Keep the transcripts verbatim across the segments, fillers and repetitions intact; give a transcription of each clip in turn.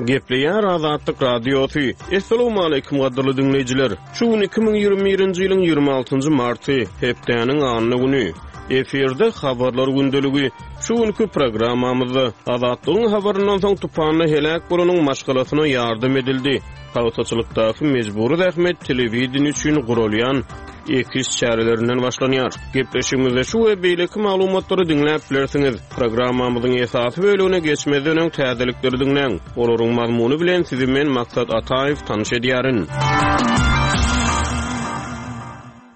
Gepleýär Azatlyk Radiosy. Essalawmaleýkim gadyrly diňleýjiler. Şu gün iki müň ýigrimi birinji ýylyň ýigrimi altynjy marty, hepdäniň anna güni. Efirde Habarlar gündeligi. Şu günki programmamyzda Azatlygyň habaryndan soň tupanda heläk bolanyň maşgalasyna ýardam edildi. Pagtaçylykdaky mejbury zähmet telewideniýe üçin guralýan ekiş çärelerinden başlanýar. Gepleşigimizde şu we beýleki maglumatlary diňläp bilersiňiz. Programmamyzyň esasy bölegine geçmezden öň täzelikleri diňläň. Olaryň mazmuny bilen sizi men Maksat Ataýew tanyş edýärin.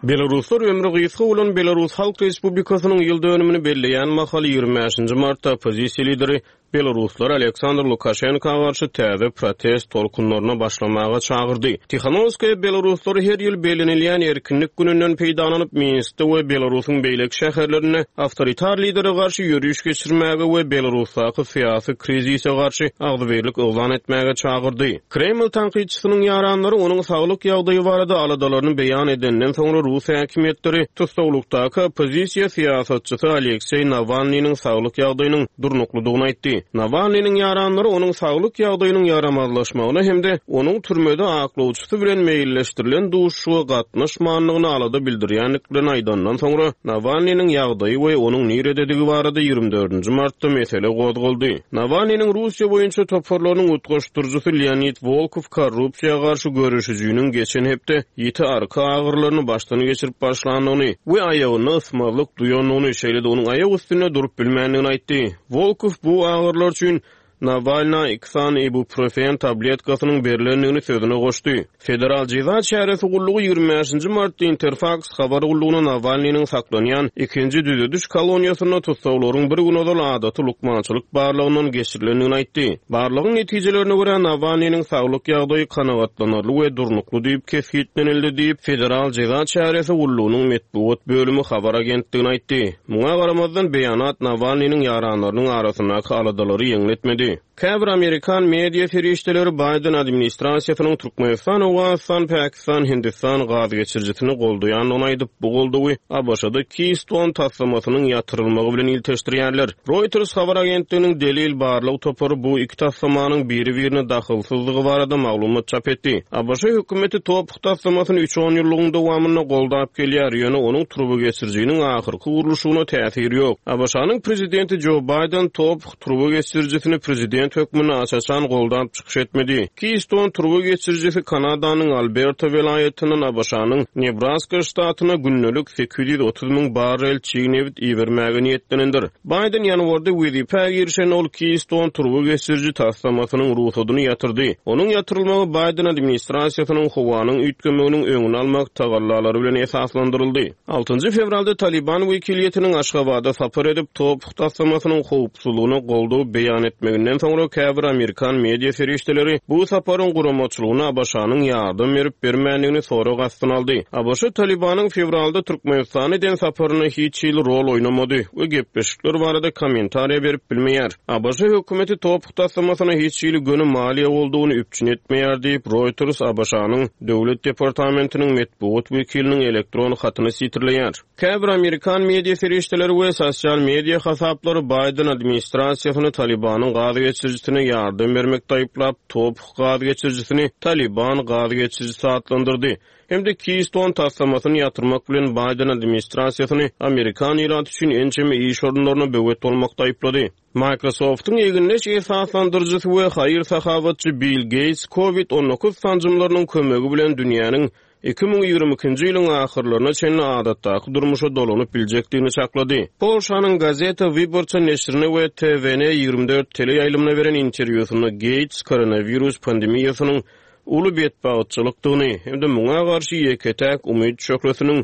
Belaruslar ömri gysga bolan Belarus Halk Respublikasynyň ýyl dönümini belleýän mahaly ýigrimi bäşinji martda oppozisiýa lideri Belaruslar Aleksandr Lukaşenka garşy täze protest tolkunlaryna başlamaga çagyrdy. Tihanowskaýa belaruslary her ýyl bellenilýän erkinlik gününden peýdalanyp, Minskde we Belarusyň beýleki şäherlerinde awtoritar lidere garşy ýöriş geçirmäge we Belarusdaky syýasy krizise garşy agzybirlik yglan etmäge çagyrdy. Kreml tankytçysynyň ýaranlary onuň saglyk ýagdaýy barada aladalaryny beýan edenden soňra rus häkimiýetleri tussaglykdaky oppozisiýa syýasatçysy Alekseý Nawalnynyň saglyk ýagdaýynyň durnuklydygyny aýtdy. Nawalnynyň ýaranlary onuň saglyk ýagdaýynyň ýaramazlaşmagyna hem-de onuň türmede aklawçysy bilen meýilleşdirilen duşuşyga gatnaşmandygyny alada bildirýändiklerini aýdandan soňra Nawalnynyň ýagdaýy we onuň nirededigi barada ýigrimi dördünji martda mesele gozgaldy. Nawalnynyň Russiýa boýunça toparlarynyň utgaşdyryjysy Leonid Wolkow korrupsiýa garşy göreşijiniň geçen hepde ýiti arka agyrylaryny başdan geçirip başlandygyny we aýagynda ysmazlyk duýandygyny, şeýle-de onuň aýak üstünde durup bilmändigini aýtdy. Wolkow bu agyrylar üçin Nawalna iki sany ibuprofen tabletkasynyň berlendigini sözüne goşdy. Federal jeza çäresi gullugy ýigrimi bäşinji martda Interfax habar gullugyna Nawalnynyň saklanýan ikinji düzediş koloniýasynda tussaglaryň bir gün ozal adaty lukmançylyk barlagyndan geçirilendigini aýtdy. Barlagyň netijelerine görä Nawalnynyň saglyk ýagdaýy kanagatlanarly we durnukly diýip kesgitlenildi diýip, Federal jeza çäresi gullugynyň metbugat bölümi habar agentligine aýtdy. Muňa garamazdan beýanat Nawalnynyň ýaranlarynyň arasyndaky aladalary ýeňletmedi. Käbir Amerikan media serişdeleri Biden administrasiýasynyň Türkmenistan, Owganystan, Pakistan, Hindistan gaz geçirijisini goldaýandygyny aýdyp, bu goldawy A B Ş-da Keystone taslamasynyň ýatyrylmagy bilen ilteşdirýärler. Reuters habar agentliginiň delil barlyk topary bu iki taslamanyň biri-birine dahylsyzlygy barada maglumat çap etdi. A B Ş hökümeti top taslamasyny üç on ýyllygyň dowamynda goldap gelýär, ýöne onuň turba geçirijiniň ahyrky gurluşygyna täsiri ýok. A B Ş-nyň prezidenti Joe Biden top turba geçirijisini prezident hökmünde aç-açan goldap çykyş etmedi. Keystone turba geçirijisi Kanadanyň Alberta welaýatyndan A B Ş-nyň Nebraska ştatyna gündelik sekiz ýüz otuz müň barrel çig nebit ibermäge niýetlenendir. Biden ýanwarda wezipä girişen ol Keystone turba geçiriji taslamasynyň ruhsadyny ýatyrdy. Onuň ýatyrylmagy Biden administrasiýasynyň howanyň üýtgemeginiň öňüni almak tagallalary bilen esaslandyryldy. Altynjy fewralda Taliban wekiliýetiniň Aşgabada sapar edip top taslamasynyň howpsuzlygyna goldaw beýan etmeginden soňra käbir Amerikan media serişdeleri bu saparyň guramaçylygyna A B Ş-nyň ýardam berip bermändigini sorag astyna aldy. A B Ş Talibanyň fewralda Türkmenistana eden saparyna hiç hili rol oýnamady we gepleşikler barada kommentariýa berip bilmeýär. A B Ş hökümeti top taslamasyna hiç hili göni maliýe goldawyny üpjün etmeýär diýip Reuters A B Ş-nyň Döwlet departamentiniň metbugat wekiliniň elektron hatyny sitirleýär. Käbir Amerikan media serişdeleri we sosial media hasaplary Biden administrasiýasyny Talibanyň gaz geçirijisine ýardam bermekde aýyplap, top gaz geçirijisini Taliban gaz geçirijisi atlandyrdy. Hem-de Keystone taslamasyny ýatyrmak bilen Biden administrasiýasyny Amerikan ilaty üçin ençeme iş orunlaryna böwet bolmakda aýyplady. Microsoft'yň egindeş esaslandyryjysy we haýyr-sahabatçy Bill Gates COVID on dokuz sanjymlarynyň kömegi bilen dünýäniň iki müň ýigrimi ikinji ýylyň ahyrlaryna çenli adatdaky durmuşa dolanyp biljekdigini çaklady. Polşanyň Gazeta Wyborcza neşirine we T V N ýigrimi dört teleýaýlymyna beren interwýusynda Gates koronawirus pandemiýasynyň uly betbagtçylykdygyny hem-de muňa garşy ýeke-täk umyt şöhlesiniň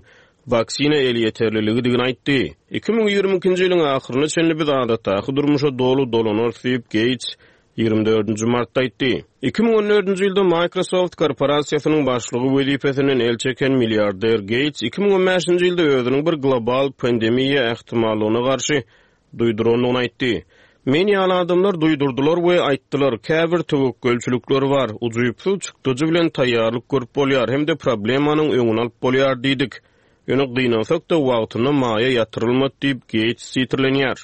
waksina elýeterliligidigini aýtdy. Iki müň ýigrimi ikinji ýylyň ahyryna çenli biz adatdaky durmuşa doly dolanarys diýip Gates ýigrimi dördünji martda aýtdy. Iki müň on dördünji ýylda Microsoft korporasiýasynyň başlygy wezipesinden el çeken milliarder Gates iki müň on bäşinji ýylda özüniň bir global pandemiýa ähtimallygyna garşy duýdurandygyny aýtdy. Men ýaly adamlar duýdurdylar we aýtdylar, käbir töwekgelçilikler bar, ujypsyz çykdyjy bilen taýýarlyk görüp bolýar hem-de problemanyň öňüni alyp bolýar diýdik. Ýöne gynansak-da wagtynda maýa ýatyrylmady diýip Gates sitirlenýär.